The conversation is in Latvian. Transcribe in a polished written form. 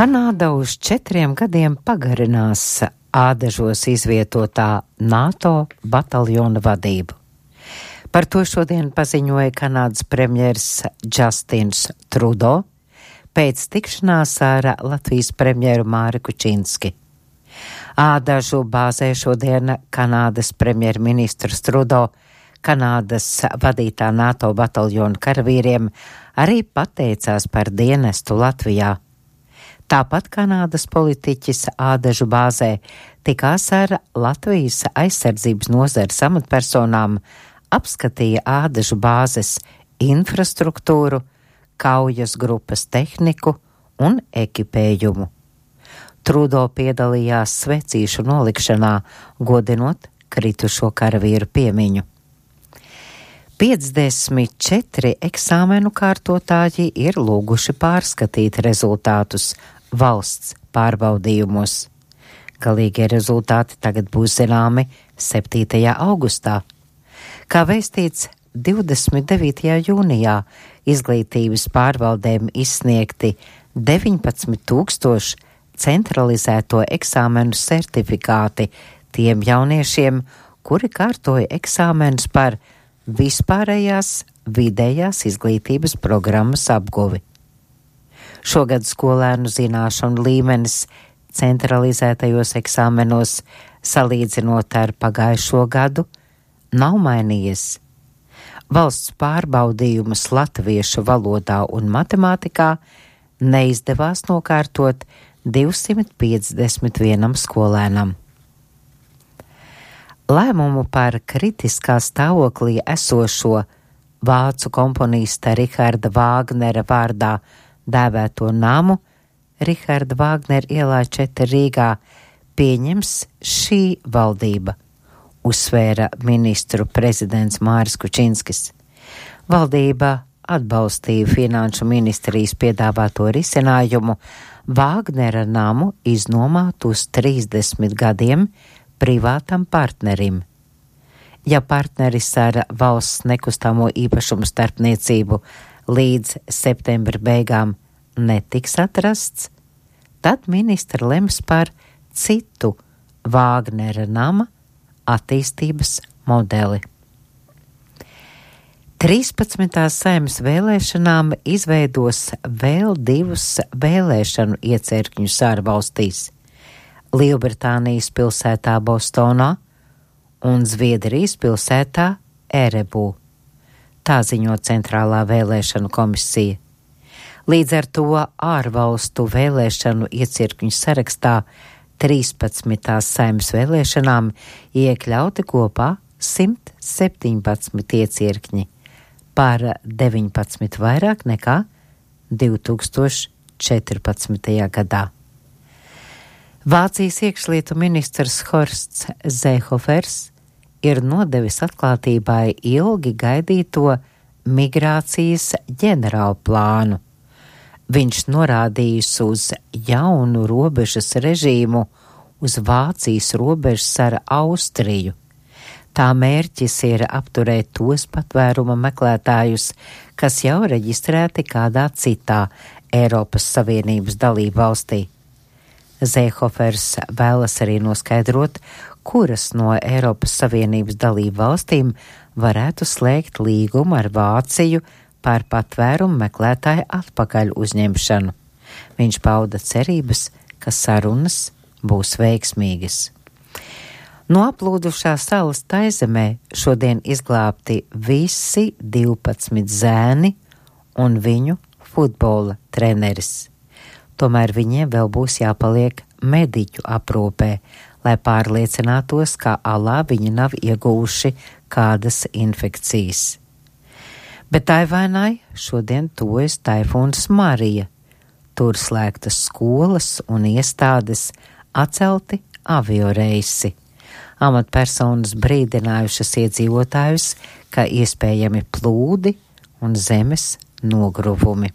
Kanāda uz 4 gadiem pagarinās ādažos izvietotā NATO bataljona vadību. Par to šodien paziņoja Kanādas premjers Justins Trudeau pēc tikšanās ar Latvijas premjeru Māri Kučinski. Ādažu bāzē šodien Kanādas premjerministrs Trudeau Kanādas vadītā NATO bataljona karavīriem arī pateicās par dienestu Latvijā. Tāpat Kanādas politiķis ādažu bāzē tikās ar Latvijas aizsardzības nozares amatpersonām, apskatīja ādažu bāzes infrastruktūru, kaujas grupas tehniku un ekipējumu. Trudeau piedalījās svecīšu nolikšanā, godinot kritušo karavīru piemiņu. 54 eksāmenu kārtotāji ir lūguši pārskatīt rezultātus valsts pārbaudījumos. Galīgie rezultāti tagad būs zināmi 7. augustā. Kā vēstīts 29. jūnijā izglītības pārvaldēm izsniegti 19,000 centralizēto eksāmenu sertifikāti tiem jauniešiem, kuri kārtoja eksāmenus par vispārējās vidējās izglītības programmas apguvi. Šogad skolēnu zināšanu līmenis centralizētajos eksāmenos, salīdzinot ar pagājušo gadu, nav mainījies. Valsts pārbaudījumus latviešu valodā un matemātikā neizdevās nokārtot 251 skolēnam. Lēmumu par kritiskā stāvoklī esošo vācu komponista Richarda Vāgnera vārdā dēvēto namu Richarda Vāgnera ielā 4 Rīgā pieņems šī valdība, uzsvēra ministru prezidents Māris Kučinskis. Valdība atbalstīja finanšu ministrijas piedāvāto risinājumu Vāgnera namu iznomāt uz 30 gadiem privātam partnerim. Ja partneris ar valsts nekustamo īpašumu starpniecību līdz septembra beigām netiks atrasts, tad ministra lems par citu Vāgnera nama attīstības modeli. 13. Saeimas vēlēšanām izveidos vēl 2 vēlēšanu iecirkņus ārvalstīs – Lielbritānijas pilsētā Bostonā un Zviedrijas pilsētā Erebū. Tā ziņo Centrālā vēlēšanu komisija. Līdz ar to ārvalstu vēlēšanu iecirkņu sarakstā 13. Saeimas vēlēšanām iekļauti kopā 117 iecirkņi, par 19 vairāk nekā 2014. gadā. Vācijas iekšlietu ministrs Horsts Seehofers ir nodevis atklātībai ilgi gaidīto migrācijas ģenerālu plānu. Viņš norādījis uz jaunu robežas režīmu uz Vācijas robežas ar Austriju. Tā mērķis ir apturēt tos patvēruma meklētājus, kas jau reģistrēti kādā citā Eiropas Savienības dalību valstī. Seehofers vēlas arī noskaidrot, kuras no Eiropas Savienības dalību valstīm varētu slēgt līgumu ar Vāciju par patvērumu meklētāju atpakaļ uzņemšanu. Viņš pauda cerības, ka sarunas būs veiksmīgas. No aplūdušā salas Taizemē šodien izglābti visi 12 zēni un viņu futbola treneris. Tomēr viņiem vēl būs jāpaliek mediķu aprūpē, lai pārliecinātos, ka alā viņi nav ieguvuši kādas infekcijas. Bet Taivānai šodien tuvojas taifūns Marija. Tur slēgtas skolas un iestādes, atcelti avioreisi. Amatpersonas brīdinājušas iedzīvotājus, ka iespējami plūdi un zemes nogruvumi.